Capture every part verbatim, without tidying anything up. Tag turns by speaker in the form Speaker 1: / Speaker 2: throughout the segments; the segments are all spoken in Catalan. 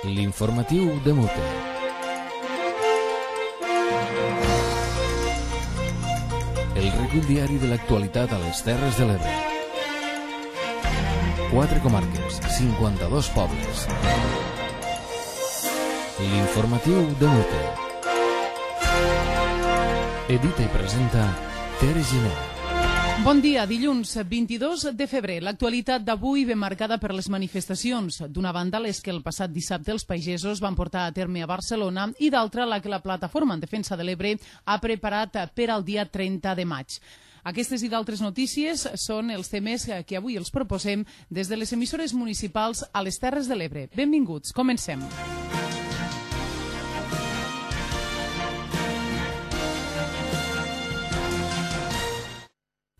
Speaker 1: L'informatiu de Mute. El recull diari de l'actualitat a les Terres de l'Ebre. Quatre comarques, cinquanta-dos pobles. L'informatiu de Mute. Edita i presenta Tere Giner.
Speaker 2: Bon dia, dilluns vint-i-dos de febrer. L'actualitat d'avui ve marcada per les manifestacions. D'una banda, les que el passat dissabte els pagesos van portar a terme a Barcelona i d'altra, la que la Plataforma en Defensa de l'Ebre ha preparat per al dia trenta de maig. Aquestes i d'altres notícies són els temes que avui els proposem des de les emissores municipals a les Terres de l'Ebre. Benvinguts, comencem.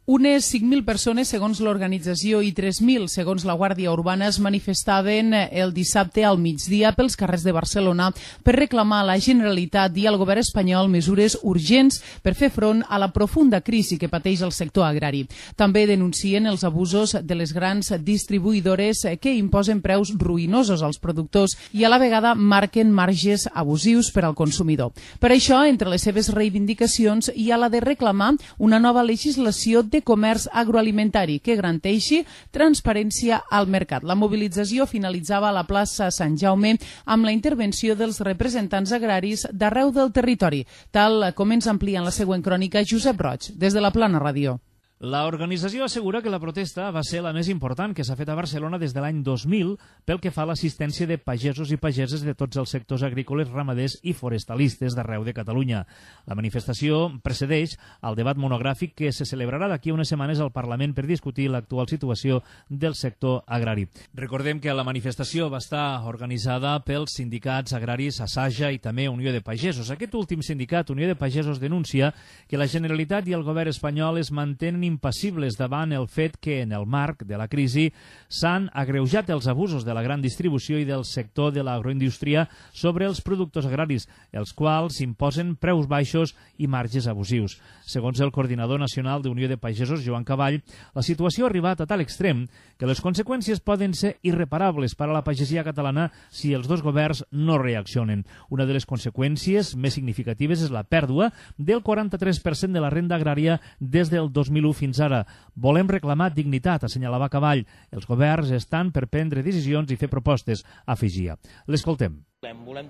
Speaker 2: Unes cinc mil persones, segons l'organització, i tres mil, segons la Guàrdia Urbana, es manifestaven el dissabte al migdia pels carrers de Barcelona per reclamar a la Generalitat i al govern espanyol mesures urgents per fer front a la profunda crisi que pateix el sector agrari. També denuncien els abusos de les grans distribuïdores que imposen preus ruïnosos als productors i a la vegada marquen marges abusius per al consumidor. Per això, entre les seves reivindicacions hi ha la de reclamar una nova legislació de comerç agroalimentari que garanteixi transparència al mercat. La mobilització finalitzava a la plaça Sant Jaume amb la intervenció dels representants agraris d'arreu del territori, tal com ens amplia en la següent crònica Josep Roig, des de la Plana Ràdio.
Speaker 3: La organització assegura que la protesta va ser la més important que s'ha fet a Barcelona des de l'any dos mil pel que fa a l'assistència de pagesos i pageses de tots els sectors agrícoles, ramaders i forestalistes d'arreu de Catalunya. La manifestació precedeix el debat monogràfic que se celebrarà d'aquí unes setmanes al Parlament per discutir l'actual situació del sector agrari. Recordem que la manifestació va estar organitzada pels sindicats agraris Asaja i també Unió de Pagesos. Aquest últim sindicat, Unió de Pagesos, denuncia que la Generalitat i el govern espanyol es mantenen impassibles davant el fet que en el marc de la crisi s'han agreujat els abusos de la gran distribució i del sector de l'agroindústria sobre els productors agraris, els quals imposen preus baixos i marges abusius. Segons el coordinador nacional d'Unió de Pagesos, Joan Cavall, la situació ha arribat a tal extrem que les conseqüències poden ser irreparables per a la pagesia catalana si els dos governs no reaccionen. Una de les conseqüències més significatives és la pèrdua del quaranta-tres per cent de la renda agrària des del dos mil u fins ara. Volem reclamar dignitat, assenyalava Cavall. Els governs estan per prendre decisions i fer propostes, afegia. L'escoltem.
Speaker 4: Volem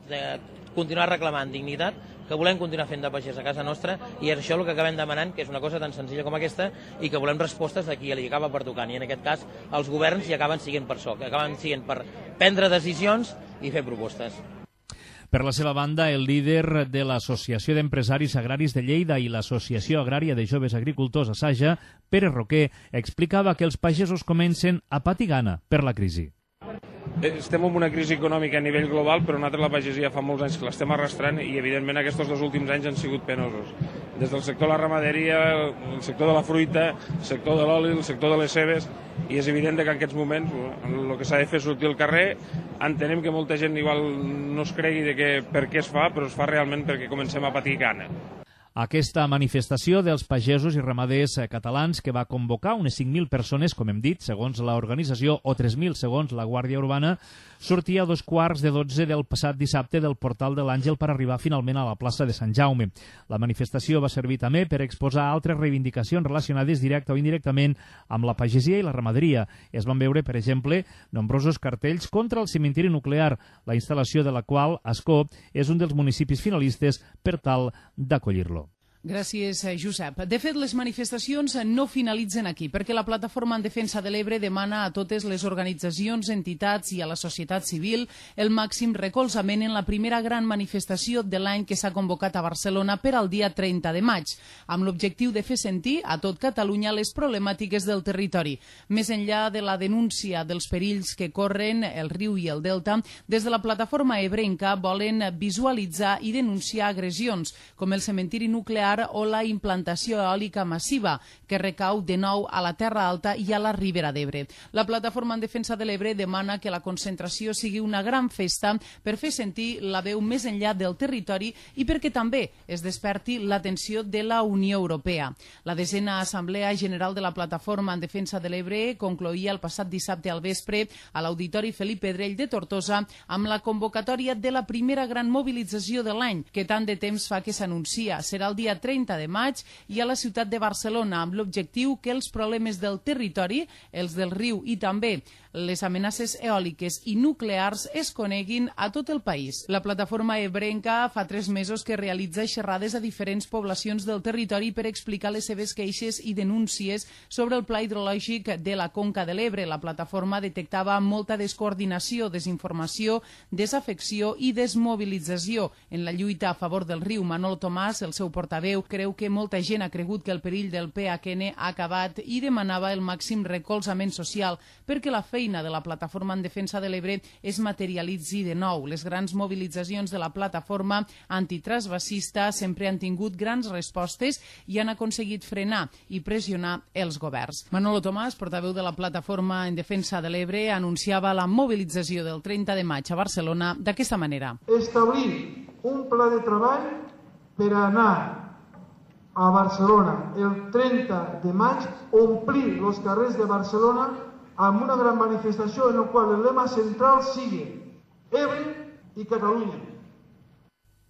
Speaker 4: continuar reclamant dignitat, que volem continuar fent de pagès a casa nostra i és això el que acabem demanant, que és una cosa tan senzilla com aquesta i que volem respostes de qui li acaba pertocant. I en aquest cas els governs hi acaben siguent per això, que acaben siguent per prendre decisions i fer propostes.
Speaker 3: Per la seva banda, el líder de l'Associació d'Empresaris Agraris de Lleida i l'Associació Agrària de Joves Agricultors Asaja, Pere Roquer, explicava que els pagesos comencen a patir gana per la crisi.
Speaker 5: Estem en una crisi econòmica a nivell global, però nosaltres la pagesia fa molts anys que l'estem arrastrant i, evidentment, aquests dos últims anys han sigut penosos. Des del sector de la ramaderia, el sector de la fruita, el sector de l'oli, el sector de les cebes, i és evident que en aquests moments el que s'ha de fer és sortir al carrer. Entenem que molta gent igual no es cregui de que, per què es fa, però es fa realment perquè comencem a patir gana.
Speaker 3: Aquesta manifestació dels pagesos i ramaders catalans, que va convocar unes cinc mil persones, com hem dit, segons l'organització, o tres mil segons la Guàrdia Urbana, sortia a dos quarts de dotze del passat dissabte del portal de l'Àngel per arribar finalment a la plaça de Sant Jaume. La manifestació va servir també per exposar altres reivindicacions relacionades directa o indirectament amb la pagesia i la ramaderia. Es van veure, per exemple, nombrosos cartells contra el cementiri nuclear, la instal·lació de la qual Ascó és un dels municipis finalistes per tal d'acollir-lo.
Speaker 2: Gràcies, Josep. De fet, les manifestacions no finalitzen aquí, perquè la Plataforma en Defensa de l'Ebre demana a totes les organitzacions, entitats i a la societat civil el màxim recolzament en la primera gran manifestació de l'any que s'ha convocat a Barcelona per al dia trenta de maig, amb l'objectiu de fer sentir a tot Catalunya les problemàtiques del territori. Més enllà de la denúncia dels perills que corren el riu i el delta, des de la Plataforma ebrenca volen visualitzar i denunciar agressions, com el cementiri nuclear nuclear o la implantació eòlica massiva, que recau de nou a la Terra Alta i a la Ribera d'Ebre. La Plataforma en Defensa de l'Ebre demana que la concentració sigui una gran festa per fer sentir la veu més enllà del territori i perquè també es desperti l'atenció de la Unió Europea. La desena Assemblea General de la Plataforma en Defensa de l'Ebre concloïa el passat dissabte al vespre a l'Auditori Felip Pedrell de Tortosa amb la convocatòria de la primera gran mobilització de l'any, que tant de temps fa que s'anuncia. Serà el dia trenta de maig i a la ciutat de Barcelona, amb l'objectiu que els problemes del territori, els del riu i també les amenaces eòliques i nuclears es coneguin a tot el país. La plataforma ebrenca fa tres mesos que realitza xerrades a diferents poblacions del territori per explicar les seves queixes i denúncies sobre el pla hidrològic de la Conca de l'Ebre. La plataforma detectava molta descoordinació, desinformació, desafecció i desmobilització en la lluita a favor del riu. Manolo Tomàs, el seu portaveu, creu que molta gent ha cregut que el perill del P H N ha acabat i demanava el màxim recolzament social perquè la feina de la Plataforma en Defensa de l'Ebre es materialitzi de nou. Les grans mobilitzacions de la plataforma antitransvasista sempre han tingut grans respostes i han aconseguit frenar i pressionar els governs. Manolo Tomàs, portaveu de la Plataforma en Defensa de l'Ebre, anunciava la mobilització del trenta de maig a Barcelona d'aquesta manera.
Speaker 6: Establir un pla de treball per anar a Barcelona el trenta de maig, omplir els carrers de Barcelona amb una gran manifestació en la qual el lema central sigui Ebre i Catalunya.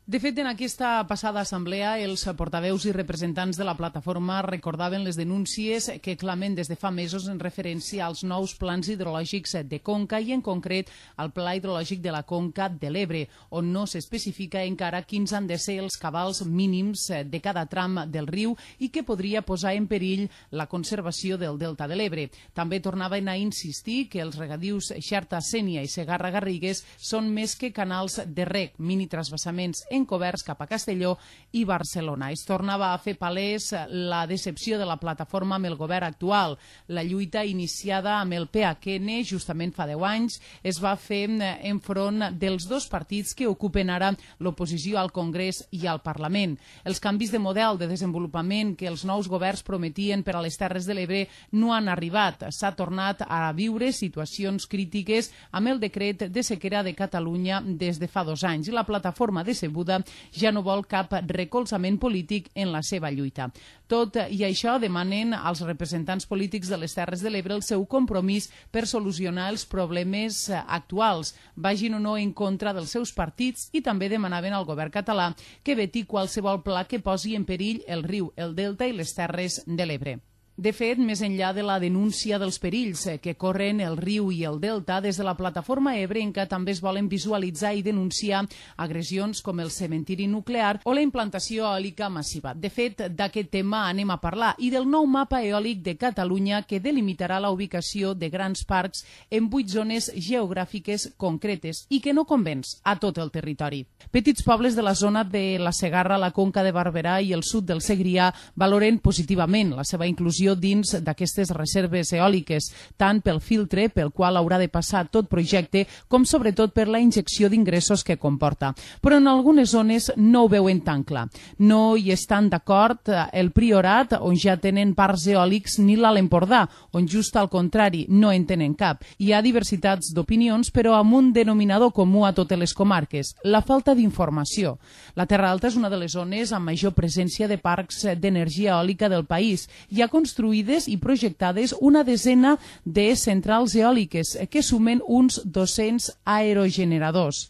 Speaker 2: De fet, en aquesta passada assemblea, els portaveus i representants de la plataforma recordaven les denúncies que clamen des de fa mesos en referència als nous plans hidrològics de Conca i, en concret, al Pla Hidrològic de la Conca de l'Ebre, on no s'especifica encara quins han de ser els cabals mínims de cada tram del riu i que podria posar en perill la conservació del delta de l'Ebre. També tornaven a insistir que els regadius Xerta, Sénia i Segarra-Garrigues són més que canals de reg, mini-transvasaments encoberts cap a Castelló i Barcelona. Es tornava a fer palès la decepció de la plataforma amb el govern actual. La lluita iniciada amb el P H N justament fa deu anys es va fer enfront dels dos partits que ocupen ara l'oposició al Congrés i al Parlament. Els canvis de model de desenvolupament que els nous governs prometien per a les Terres de l'Ebre no han arribat. S'ha tornat a viure situacions crítiques amb el decret de sequera de Catalunya des de fa dos anys i la plataforma decebuda ja no vol cap recolzament polític en la seva lluita. Tot i això demanen als representants polítics de les Terres de l'Ebre el seu compromís per solucionar els problemes actuals, vagin o no en contra dels seus partits, i també demanaven al govern català que veti qualsevol pla que posi en perill el riu, el delta i les Terres de l'Ebre. De fet, més enllà de la denúncia dels perills que corren el riu i el delta, des de la plataforma ebrenca també es volen visualitzar i denunciar agressions com el cementiri nuclear o la implantació eòlica massiva. De fet, d'aquest tema anem a parlar i del nou mapa eòlic de Catalunya que delimitarà la ubicació de grans parcs en vuit zones geogràfiques concretes i que no convenç a tot el territori. Petits pobles de la zona de la Segarra, la Conca de Barberà i el sud del Segrià valoren positivament la seva inclusió dins d'aquestes reserves eòliques, tant pel filtre pel qual haurà de passar tot projecte, com sobretot per la injecció d'ingressos que comporta. Però en algunes zones no ho veuen tan clar. No hi estan d'acord el Priorat, on ja tenen parcs eòlics, ni l'Alt Empordà, on just al contrari no en tenen cap. Hi ha diversitats d'opinions, però amb un denominador comú a totes les comarques, la falta d'informació. La Terra Alta és una de les zones amb major presència de parcs d'energia eòlica del país. Hi ha construïdes i projectades una desena de centrals eòliques que sumen uns dos-cents aerogeneradors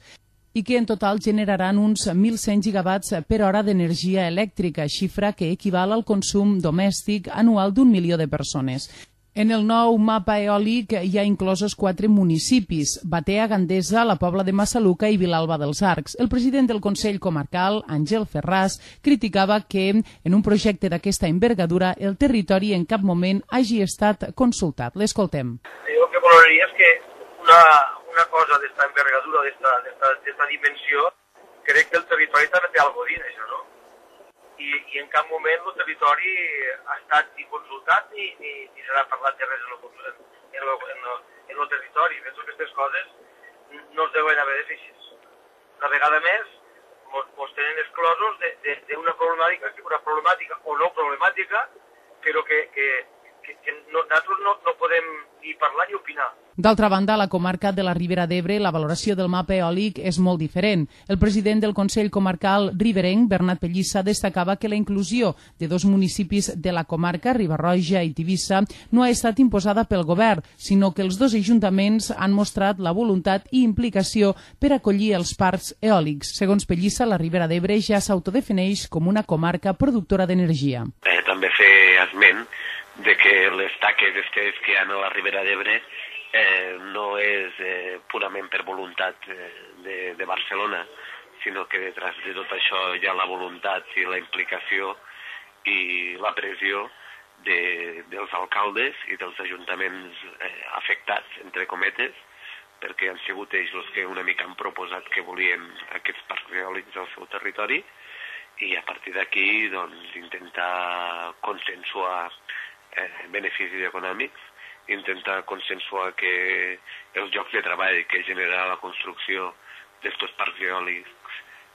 Speaker 2: i que en total generaran uns mil cent gigawatts per hora d'energia elèctrica, xifra que equival al consum domèstic anual d'un milió de persones. En el nou mapa eòlic hi ha inclosos quatre municipis: Batea, Gandesa, la Pobla de Massaluca i Vilalba dels Arcs. El president del Consell Comarcal, Àngel Ferràs, criticava que en un projecte d'aquesta envergadura el territori en cap moment hagi estat consultat. L'escoltem.
Speaker 7: Jo el que valoraria és que una, una cosa d'esta envergadura, d'esta dimensió, crec que el territori també té alguna cosa a dir d'això, no? I, i en cap moment el territori ha estat ni consultat ni, ni, ni s'ha parlat de res en el, en el, en el, en el territori. Penso que aquestes coses no es deuen haver de fer així. Una vegada més, ens tenen exclosos d'una problemàtica, una problemàtica o no problemàtica, però que, que, que, que no, nosaltres no, no podem ni parlar ni opinar.
Speaker 2: D'altra banda, a la comarca de la Ribera d'Ebre, la valoració del mapa eòlic és molt diferent. El president del Consell Comarcal riberenc, Bernat Pellissa, destacava que la inclusió de dos municipis de la comarca, Riba-roja i Tivissa, no ha estat imposada pel govern, sinó que els dos ajuntaments han mostrat la voluntat i implicació per acollir els parcs eòlics. Segons Pellissa, la Ribera d'Ebre ja s'autodefineix com una comarca productora d'energia.
Speaker 8: Eh, també fer esment de que les taques que hi ha a la Ribera d'Ebre Eh, no és eh, purament per voluntat eh, de, de Barcelona, sinó que detrás de tot això hi ha la voluntat i la implicació i la pressió de, dels alcaldes i dels ajuntaments eh, afectats, entre cometes, perquè han sigut ells els que una mica han proposat que volien aquests parcs eòlics al seu territori i a partir d'aquí doncs, intentar consensuar eh, beneficis econòmics, intentar consensuar que els llocs de treball que genera la construcció d'estos parcs eòlics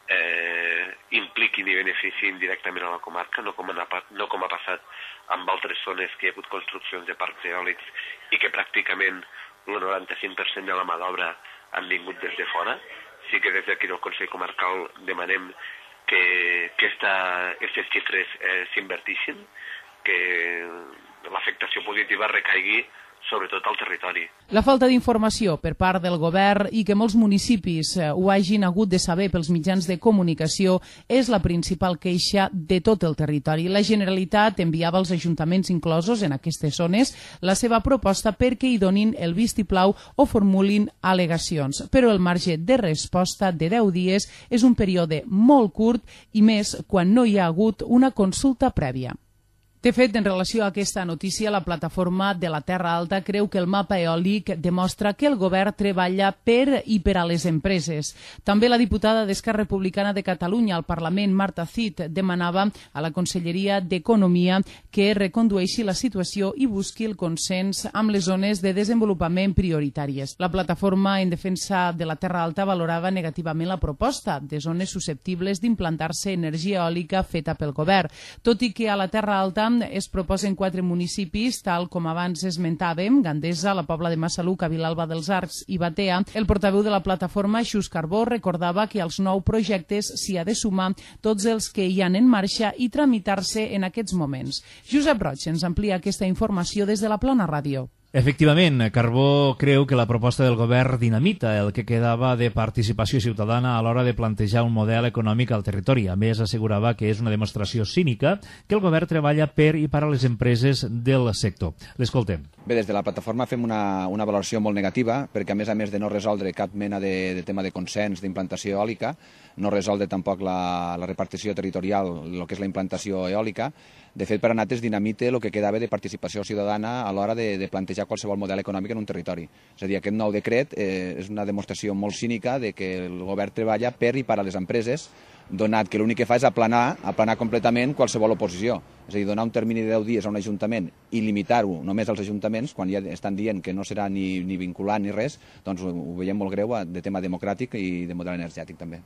Speaker 8: eh, impliquin i beneficien directament a la comarca, no com, ha, no com ha passat amb altres zones que hi ha hagut construccions de parcs eòlics i que pràcticament el noranta-cinc per cent de la mà d'obra han vingut des de fora. Sí que des d'aquí del Consell Comarcal demanem que, que aquestes xifres eh, s'invertixin, que l'afectació positiva recaigui sobretot al territori.
Speaker 2: La falta d'informació per part del govern i que molts municipis ho hagin hagut de saber pels mitjans de comunicació és la principal queixa de tot el territori. La Generalitat enviava als ajuntaments inclosos en aquestes zones la seva proposta perquè hi donin el vistiplau o formulin al·legacions. Però el marge de resposta de deu dies és un període molt curt i més quan no hi ha hagut una consulta prèvia. De fet, en relació a aquesta notícia, la plataforma de la Terra Alta creu que el mapa eòlic demostra que el govern treballa per i per a les empreses. També la diputada d'Esquerra Republicana de Catalunya al Parlament, Marta Cid, demanava a la Conselleria d'Economia que recondueixi la situació i busqui el consens amb les zones de desenvolupament prioritàries. La plataforma en defensa de la Terra Alta valorava negativament la proposta de zones susceptibles d'implantar-se energia eòlica feta pel govern, tot i que a la Terra Alta es proposen quatre municipis, tal com abans esmentàvem, Gandesa, la Pobla de Massaluca, Vilalba dels Arcs i Batea. El portaveu de la plataforma, Xus Carbó, recordava que als nou projectes s'hi ha de sumar tots els que hi han en marxa i tramitar-se en aquests moments. Josep Roig ens amplia aquesta informació des de la Plana Ràdio.
Speaker 3: Efectivament, Carbó creu que la proposta del govern dinamita el que quedava de participació ciutadana a l'hora de plantejar un model econòmic al territori. A més, assegurava que és una demostració cínica que el govern treballa per i per a les empreses del sector. L'escoltem.
Speaker 9: Bé, des de la plataforma fem una, una valoració molt negativa, perquè a més a més de no resoldre cap mena de, de tema de consens d'implantació eòlica, no resoldre tampoc la, la repartició territorial, el que és la implantació eòlica. De fet, per a nosaltres dinamite el que quedava de participació ciutadana a l'hora de, de plantejar qualsevol model econòmic en un territori. És a dir, aquest nou decret eh, és una demostració molt cínica de que el govern treballa per i per a les empreses, donat que l'únic que fa és aplanar, aplanar completament qualsevol oposició. És a dir, donar un termini de deu dies a un ajuntament i limitar-ho només als ajuntaments, quan ja estan dient que no serà ni, ni vinculant ni res, doncs ho, ho veiem molt greu de tema democràtic i de model energètic també.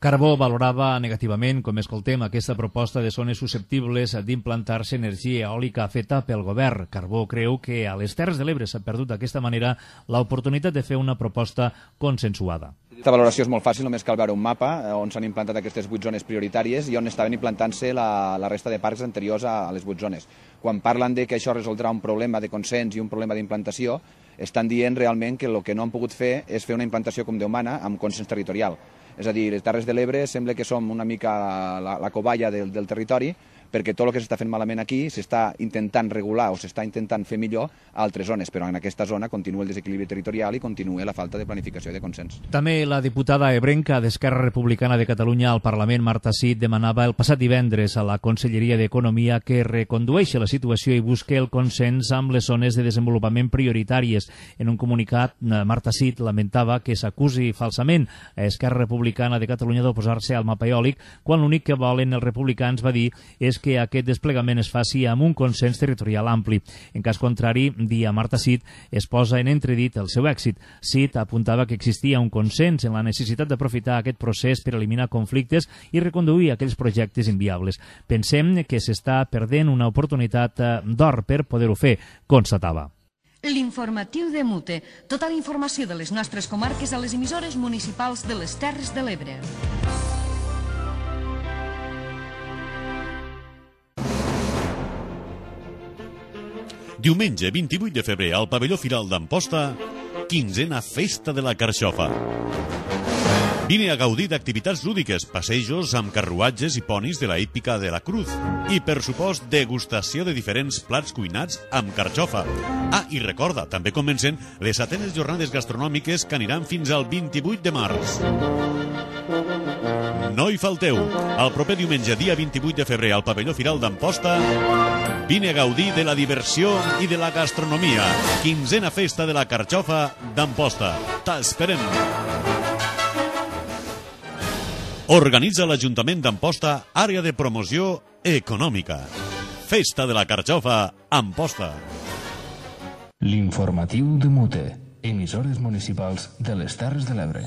Speaker 3: Carbó valorava negativament, com escoltem, aquesta proposta de zones susceptibles d'implantar-se energia eòlica feta pel govern. Carbó creu que a les Terres de l'Ebre s'ha perdut d'aquesta manera l'oportunitat de fer una proposta consensuada.
Speaker 9: Aquesta valoració és molt fàcil, només cal veure un mapa on s'han implantat aquestes vuit zones prioritàries i on estaven implantant-se la, la resta de parcs anteriors a, a les vuit zones. Quan parlen de que això resoldrà un problema de consens i un problema d'implantació, estan dient realment que el que no han pogut fer és fer una implantació com Déu mana amb consens territorial. És a dir, les Terres de l'Ebre sembla que som una mica la, la covalla del, del territori, perquè tot el que s'està fent malament aquí s'està intentant regular o s'està intentant fer millor a altres zones, però en aquesta zona continua el desequilibri territorial i continua la falta de planificació i de consens.
Speaker 3: També la diputada ebrenca d'Esquerra Republicana de Catalunya al Parlament, Marta Cid, demanava el passat divendres a la Conselleria d'Economia que recondueixi la situació i busqui el consens amb les zones de desenvolupament prioritàries. En un comunicat, Marta Cid lamentava que s'acusi falsament a Esquerra Republicana de Catalunya d'oposar-se al mapa eòlic, quan l'únic que volen els republicans, va dir, és que aquest desplegament es faci amb un consens territorial ampli. En cas contrari, dia Marta Cid, es posa en entredit el seu èxit. Cid apuntava que existia un consens en la necessitat d'aprofitar aquest procés per eliminar conflictes i reconduir aquells projectes inviables. Pensem que s'està perdent una oportunitat d'or per poder-ho fer, constatava.
Speaker 10: L'informatiu de Mute. Tota la informació de les nostres comarques a les emissores municipals de les Terres de l'Ebre.
Speaker 11: Diumenge vint-i-vuit de febrer al pavelló Firal d'Amposta, quinzena Festa de la Carxofa. Vine a gaudir d'activitats lúdiques, passejos amb carruatges i ponis de la hípica de la Cruz i, per supost, degustació de diferents plats cuinats amb carxofa. Ah, i recorda, també comencen les setenes jornades gastronòmiques que aniran fins al vint-i-vuit de març. No hi falteu. El proper diumenge, dia vint-i-vuit de febrer, al pavelló Firal d'Amposta, vine a gaudir de la diversió i de la gastronomia. Quinzena Festa de la Carxofa d'Amposta. T'esperem. Organitza l'Ajuntament d'Amposta, àrea de promoció econòmica. Festa de la Carxofa, Amposta.
Speaker 1: L'informatiu de Mute, emissores municipals de les Terres de l'Ebre.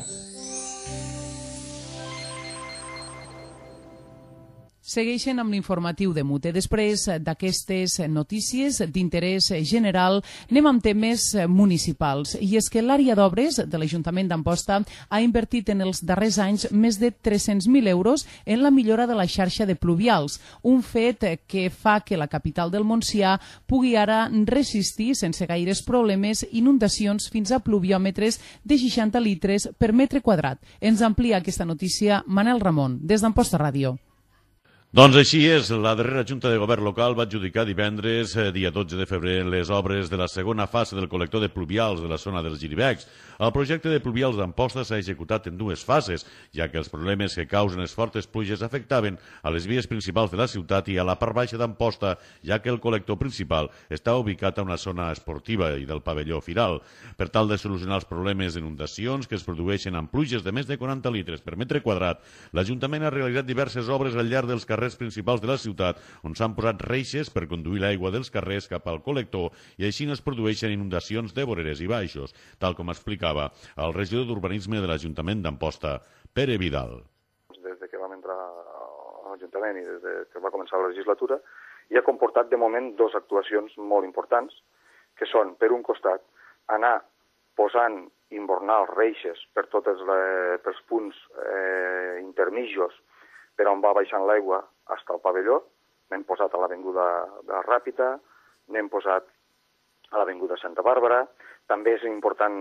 Speaker 2: Segueixen amb l'informatiu de Mute. Després d'aquestes notícies d'interès general, anem amb temes municipals. I és que l'àrea d'obres de l'Ajuntament d'Amposta ha invertit en els darrers anys més de tres-cents mil euros en la millora de la xarxa de pluvials, un fet que fa que la capital del Montsià pugui ara resistir sense gaires problemes inundacions fins a pluviòmetres de seixanta litres per metre quadrat. Ens amplia aquesta notícia Manel Ramon, des d'Amposta Ràdio.
Speaker 11: Doncs així és, la darrera Junta de Govern local va adjudicar divendres, dia dotze de febrer, les obres de la segona fase del col·lector de pluvials de la zona dels Giribecs. El projecte de pluvials d'Amposta s'ha executat en dues fases, ja que els problemes que causen les fortes pluges afectaven a les vies principals de la ciutat i a la part baixa d'Amposta, ja que el col·lector principal està ubicat a una zona esportiva i del pavelló Firal. Per tal de solucionar els problemes d'inundacions que es produeixen amb pluges de més de quaranta litres per metre quadrat, l'Ajuntament ha realitzat diverses obres al llarg dels carrers principals de la ciutat, on s'han posat reixes per conduir l'aigua dels carrers cap al col·lector i així no es produeixen inundacions de voreres i baixos, tal com explicava el regidor d'Urbanisme de l'Ajuntament d'Amposta, Pere Vidal.
Speaker 12: Des que vam entrar a l'Ajuntament i des que va començar la legislatura, hi ha comportat de moment dues actuacions molt importants, que són, per un costat, anar posant inbornals reixes per tots els punts eh, intermijos per on va baixant l'aigua fins al pavelló. N'hem posat a l'avinguda de Ràpita, n'hem posat a l'avinguda Santa Bàrbara. També és important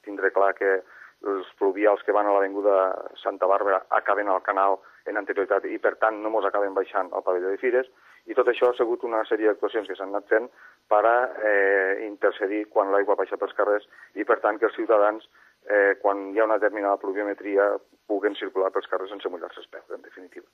Speaker 12: tindre clar que els pluvials que van a l'avinguda Santa Bàrbara acaben al canal en anterioritat i, per tant, no mos acaben baixant al pavelló de Fires. I tot això ha sigut una sèrie d'actuacions que s'han anat fent per a eh, intercedir quan l'aigua baixa pels carrers i, per tant, que els ciutadans, eh, quan hi ha una determinada pluviometria, puguen circular pels carrers sense mullar-se els peus, en definitiva.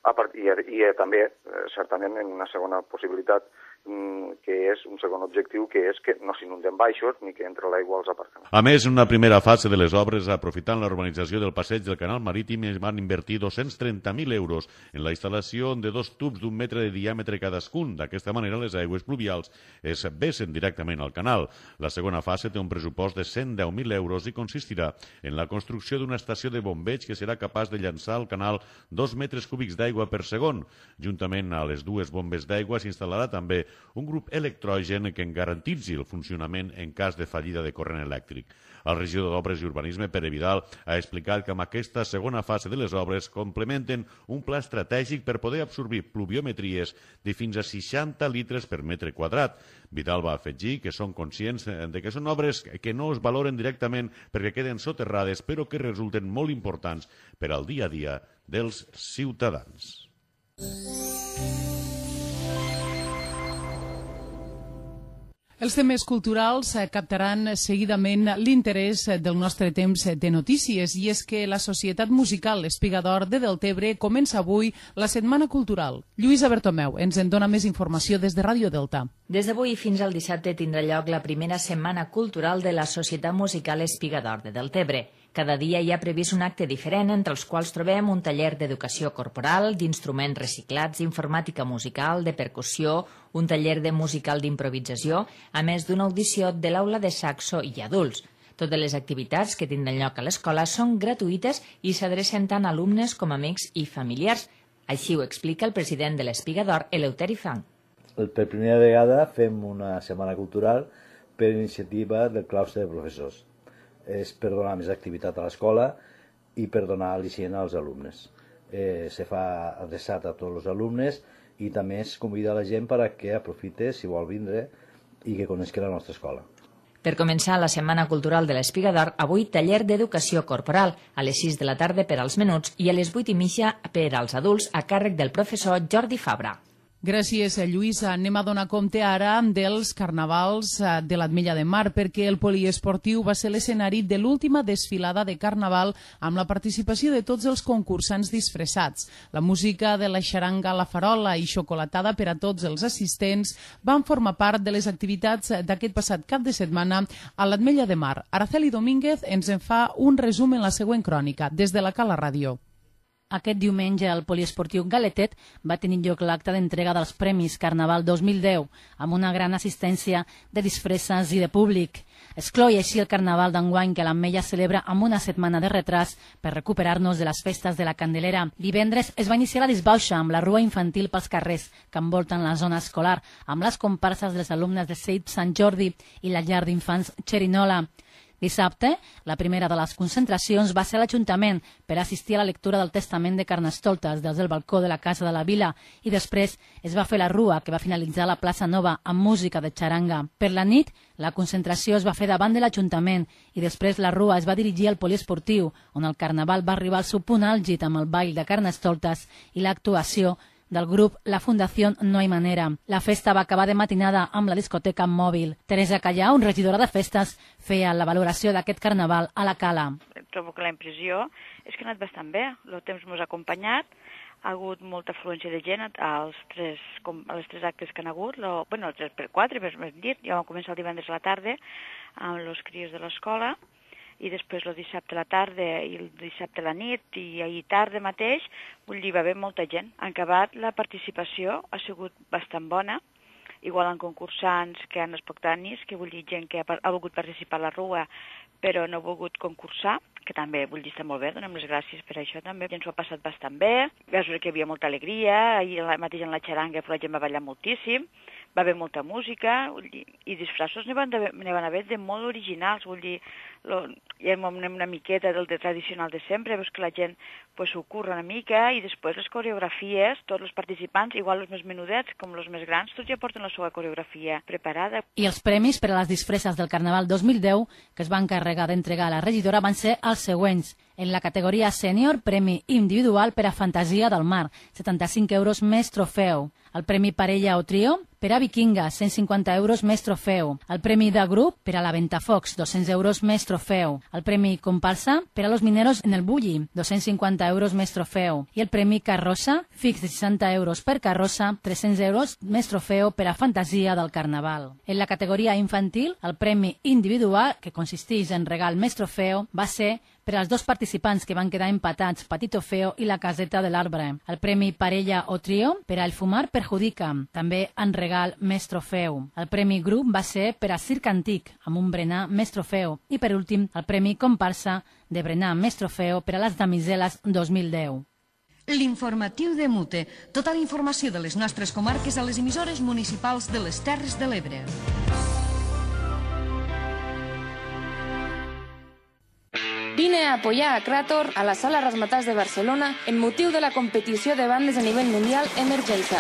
Speaker 12: A part, i, i eh, també, eh, certament, en una segona possibilitat, mm, que és un segon objectiu, que és que no s'inunden baixos ni que entre l'aigua als aparcaments.
Speaker 11: A més, en una primera fase de les obres, aprofitant la urbanització del passeig del canal marítim, es van invertir dos-cents trenta mil euros en la instal·lació de dos tubs d'un metre de diàmetre cadascun. D'aquesta manera, les aigües pluvials es vessen directament al canal. La segona fase té un pressupost de cent deu mil euros i consistirà en la construcció d'una estació de bombeig que serà capaç de llançar al canal dos metres cúbics d'aigua per segon. Juntament a les dues bombes d'aigua s'instal·larà també un grup electrogen que en garantitzi el funcionament en cas de fallida de corrent elèctric. El regidor d'Obres i Urbanisme, Pere Vidal, ha explicat que amb aquesta segona fase de les obres complementen un pla estratègic per poder absorbir pluviometries de fins a seixanta litres per metre quadrat. Vidal va afegir que són conscients de que són obres que no es valoren directament perquè queden soterrades, però que resulten molt importants per al dia a dia dels ciutadans.
Speaker 2: Els temes culturals captaran seguidament l'interès del nostre temps de notícies i és que la Societat Musical Espiga d'Or de Deltebre comença avui la Setmana Cultural. Lluïsa Bertomeu ens en dona més informació des de Ràdio Delta.
Speaker 13: Des d'avui fins al dissabte tindrà lloc la primera Setmana Cultural de la Societat Musical Espiga d'Or de Deltebre. Cada dia hi ha previst un acte diferent, entre els quals trobem un taller d'educació corporal, d'instruments reciclats, informàtica musical, de percussió, un taller de musical d'improvisació, a més d'una audició de l'aula de saxo i adults. Totes les activitats que tindran lloc a l'escola són gratuïtes i s'adrecen tant a alumnes com a amics i familiars. Així ho explica el president de l'Espiga d'Or, Eleuteri Fang.
Speaker 14: Per primera vegada fem una setmana cultural per iniciativa del claustre de professors. És per donar més activitat a l'escola i per donar al·licient als alumnes. Eh, se fa adreçat a tots els alumnes i també es convida a la gent perquè aprofite, si vol vindre, i que conegui la nostra escola.
Speaker 13: Per començar la Setmana Cultural de l'Espiga d'Or, avui taller d'educació corporal, a les sis de la tarda per als menuts i a les vuit i mitja per als adults a càrrec del professor Jordi Fabra.
Speaker 2: Gràcies, Lluïsa. Anem a donar compte ara dels carnavals de l'Ametlla de Mar, perquè el poliesportiu va ser l'escenari de l'última desfilada de carnaval amb la participació de tots els concursants disfressats. La música de la xaranga, la farola i xocolatada per a tots els assistents van formar part de les activitats d'aquest passat cap de setmana a l'Ametlla de Mar. Araceli Domínguez ens en fa un resum en la següent crònica, des de la Cala Ràdio.
Speaker 15: Aquest diumenge al poliesportiu Galetet va tenir lloc l'acte d'entrega dels Premis Carnaval dos mil deu, amb una gran assistència de disfresses i de públic. Excloi així el Carnaval d'enguany que l'Ametlla celebra amb una setmana de retras per recuperar-nos de les festes de la Candelera. Divendres es va iniciar la disbauxa amb la rua infantil pels carrers que envolten la zona escolar, amb les comparses dels alumnes de C I P Sant Jordi i la llar d'infants Xerinola. Dissabte, la primera de les concentracions va ser a l'Ajuntament per assistir a la lectura del Testament de Carnestoltes des del balcó de la Casa de la Vila i després es va fer la rua que va finalitzar a la plaça Nova amb música de xaranga. Per la nit, la concentració es va fer davant de l'Ajuntament i després la rua es va dirigir al poliesportiu, on el Carnaval va arribar al seu punt àlgid amb el ball de Carnestoltes i l'actuació del grup La Fundació No Hay Manera. La festa va acabar de matinada amb la discoteca mòbil. Teresa Callau, regidora de festes, feia la valoració d'aquest carnaval a la Cala.
Speaker 16: Trobo que la impressió és que ha anat bastant bé. El temps ens ha acompanyat, ha hagut molta afluència de gent als tres, a les tres actes que han hagut, lo, bueno, els tres per quatre, per més dit. Ja vam començar el divendres a la tarda amb els crios de l'escola, i després el dissabte a la tarda i el dissabte a la nit i ahir tarda mateix, vull dir, va haver molta gent. En acabat, la participació ha sigut bastant bona, igual en concursants que han espontànies, que vull dir gent que ha, ha volgut participar a la rua però no ha volgut concursar, que també vull dir està molt bé, donem les gràcies per això també. Ens ho ha passat bastant bé, veus que hi havia molta alegria, ahir mateix en la xaranga la gent va ballar moltíssim, va haver molta música, vull dir, i disfressos n'hi van, van haver de molt originals, vull dir, lo, ja anem una miqueta del de tradicional de sempre, veus que la gent pues, s'ho curra una mica, i després les coreografies, tots els participants, igual els més menudets com els més grans, tots ja porten la seva coreografia preparada.
Speaker 15: I els premis per a les disfresses del Carnaval dos mil deu, que es van encarregar d'entregar a la regidora, van ser els següents. En la categoria sènior, premi individual per a Fantasia del Mar, setanta-cinc euros més trofeu. El premi parella o trio per a Vikinga, cent cinquanta euros més trofeu. El premi de grup per a la Ventafocs, dos-cents euros més trofeu. El premi comparsa per a los mineros en el Bulli, dos-cents cinquanta euros més trofeu. I el premi carrossa, fix de seixanta euros per carrossa, tres-cents euros més trofeu per a Fantasia del Carnaval. En la categoria infantil, el premi individual, que consisteix en regal més trofeu, va ser per als dos participants que van quedar empatats, Patito Feo i la Caseta de l'Arbre. El premi parella o trio per a El Fumar Perjudica, també en regal més trofeu. El premi grup va ser per a Circ Antic, amb un berenar més trofeu. I per últim, el premi comparsa de berenar més trofeu per a les damiseles dos mil deu.
Speaker 10: L'informatiu de Mute. Tota la informació de les nostres comarques a les emissores municipals de les Terres de l'Ebre.
Speaker 17: Vine a apoyar a Krator a la Sala Razzmatazz de Barcelona en motiu de la competició de bandes a nivell mundial Emergenza.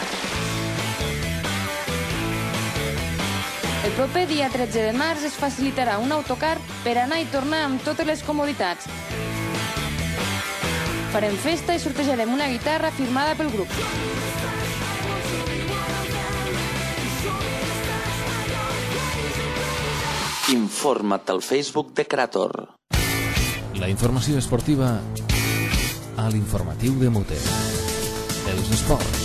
Speaker 17: El proper dia tretze de març es facilitarà un autocar per anar i tornar amb totes les comoditats. Farem festa i sortejarem una guitarra firmada pel grup.
Speaker 18: Informa't al Facebook de Krator.
Speaker 1: La informació esportiva a l'informatiu de Mute. Els esports.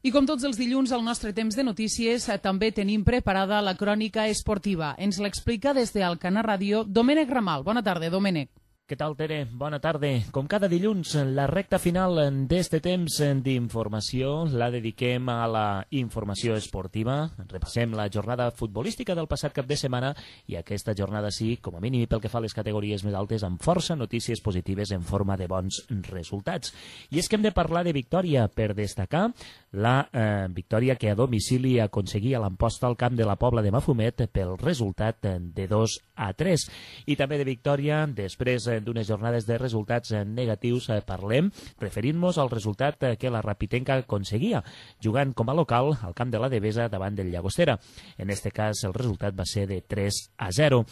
Speaker 2: I com tots els dilluns, al nostre temps de notícies, també tenim preparada la crònica esportiva. Ens l'explica des d'Alcanar Ràdio Domènec Ramal. Bona tarda, Domènec.
Speaker 19: Què tal, Tere? Bona tarda. Com cada dilluns, la recta final d'este temps d'informació la dediquem a la informació esportiva. Repassem la jornada futbolística del passat cap de setmana i aquesta jornada sí, com a mínim pel que fa a les categories més altes, amb força notícies positives en forma de bons resultats. I és que hem de parlar de victòria per destacar la eh, victòria que a domicili aconseguia l'Amposta al camp de la Pobla de Mafumet pel resultat de dos a tres. I també de victòria després d'unes jornades de resultats negatius parlem, referint-nos al resultat que la Rapitenca aconseguia, jugant com a local al camp de la Devesa davant del Llagostera. En este cas el resultat va ser de tres a zero.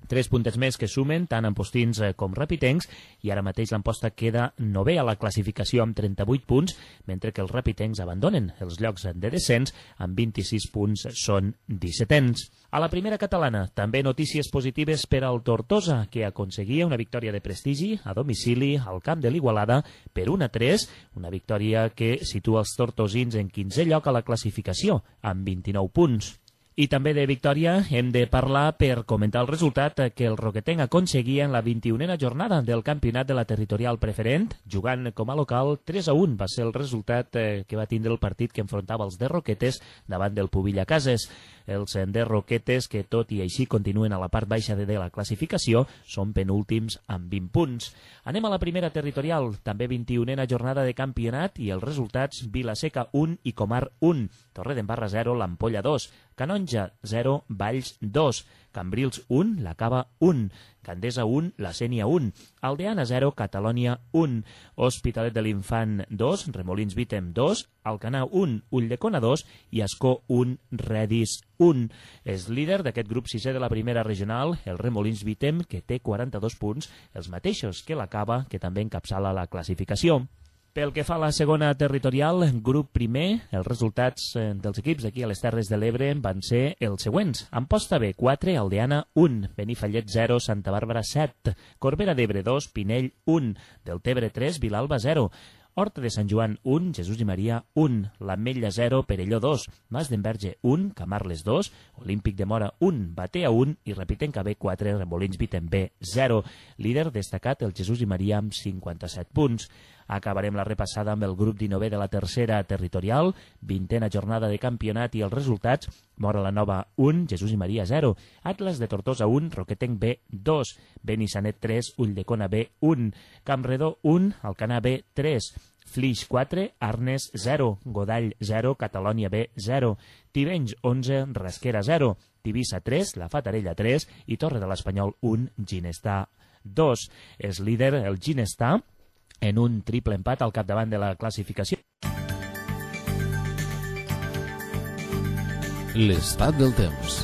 Speaker 19: Tres puntets més que sumen tant ampostins com rapitencs i ara mateix l'Amposta queda novè a la classificació amb trenta-vuit punts, mentre que els rapitencs abandonen els llocs de descens amb vint-i-sis punts, són dissetens. A la primera catalana també notícies positives per al Tortosa, que aconseguia una victòria de prestigi a domicili al camp de l'Igualada per un a tres, una victòria que situa els tortosins en quinzè lloc a la classificació amb vint-i-nou punts. I també de victòria hem de parlar per comentar el resultat que el Roquetenc aconseguia en la vint-i-unena jornada del campionat de la territorial preferent, jugant com a local tres a un. Va ser el resultat que va tindre el partit que enfrontava els de Roquetes davant del Pubilla Cases. Els de Roquetes, que tot i així continuen a la part baixa de la classificació, són penúltims amb vint punts. Anem a la primera territorial, també vint-i-unena jornada de campionat i els resultats: Vilaseca un i Comar un, Torredembarra zero, l'Ampolla dos, Canonja zero, Valls dos, Cambrils un, la Cava un, Gandesa un, la Sénia un, Aldeana zero, Catalònia un, Hospitalet de l'Infant dos, Remolins Vítem dos, Alcanar un, Ulldecona dos i Ascó un, Redis un. És líder d'aquest grup sisè de la primera regional, el Remolins Vítem, que té quaranta-dos punts, els mateixos que la Cava, que també encapçala la classificació. Pel que fa a la segona territorial, grup primer, els resultats dels equips aquí a les Terres de l'Ebre van ser els següents. Amposta B quatre, Aldeana un, Benifallet zero, Santa Bàrbara set, Corbera d'Ebre dos, Pinell un, Deltebre tres, Vilalba zero, Horta de Sant Joan un, Jesús i Maria un, l'Ametlla zero, Perelló dos, Mas d'Enverge un, Camarles dos, Olímpic de Mora un, Batea un i Rapitenca B quatre, Remolins Vítem B zero. Líder destacat el Jesús i Maria amb cinquanta-set punts. Acabarem la repassada amb el grup dinovè de la tercera territorial, vintena jornada de campionat i els resultats: Mora la Nova un, Jesús i Maria zero, Atlas de Tortosa un, Roquetenc B dos, Benissanet tres, Ulldecona B un, Campredó un, Alcanar B tres, Flix quatre, Arnes zero, Godall zero, Catalònia B zero, Tivenys onze, Rasquera zero, Tivissa tres, La Fatarella tres i Torre de l'Espanyol un, Ginestà dos. És líder el Ginestà en un triple empat al capdavant de la classificació.
Speaker 1: L'estat del temps.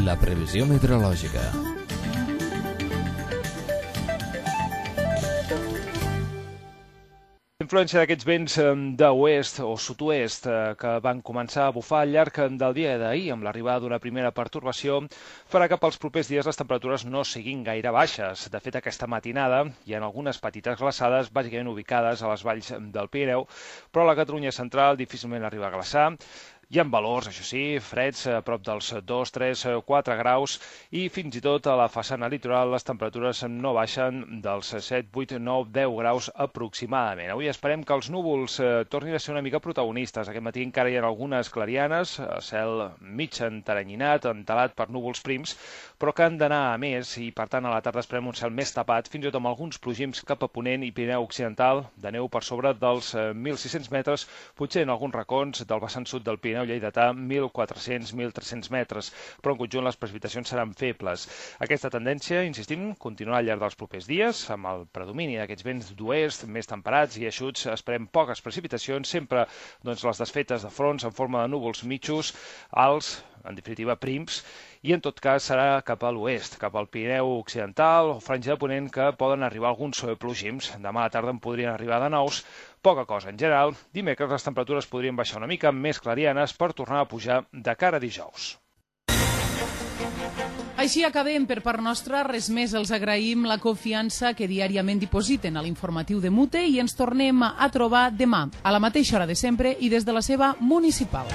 Speaker 1: La previsió meteorològica.
Speaker 20: Influència d'aquests vents d'oest o sud-oest que van començar a bufar al llarg del dia d'ahir amb l'arribada d'una primera pertorbació farà que pels propers dies les temperatures no siguin gaire baixes. De fet, aquesta matinada hi ha algunes petites glaçades bàsicament ubicades a les valls del Pirineu, però a la Catalunya central difícilment arriba a glaçar. Hi ha valors, això sí, freds, a prop dels dos, tres, quatre graus i fins i tot a la façana litoral les temperatures no baixen dels set, vuit, nou, deu graus aproximadament. Avui esperem que els núvols eh, tornin a ser una mica protagonistes. Aquest matí encara hi ha algunes clarianes, cel mig enteranyinat, entelat per núvols prims, però que han d'anar a més i per tant a la tarda esperem un cel més tapat, fins i tot amb alguns plogims cap a Ponent i Pirineu Occidental, de neu per sobre dels eh, mil sis-cents metres, potser en alguns racons del vessant sud del Pirineu lleidatà mil quatre-cents a mil tres-cents metres, però en conjunt les precipitacions seran febles. Aquesta tendència, insistim, continuarà al llarg dels propers dies, amb el predomini d'aquests vents d'oest més temperats i eixuts. Esperem poques precipitacions, sempre doncs, les desfetes de fronts en forma de núvols mitjos, alts, en definitiva prims, i en tot cas serà cap a l'oest, cap al Pirineu Occidental o Franja de Ponent, que poden arribar alguns plogims. Demà a la tarda en podrien arribar de nous, poca cosa en general. Dimecres les temperatures podrien baixar una mica més clarianes per tornar a pujar de cara a dijous.
Speaker 2: Així acabem. Per part nostra, res més. Els agraïm la confiança que diàriament dipositen a l'informatiu de Mute i ens tornem a trobar demà, a la mateixa hora de sempre i des de la seva municipal.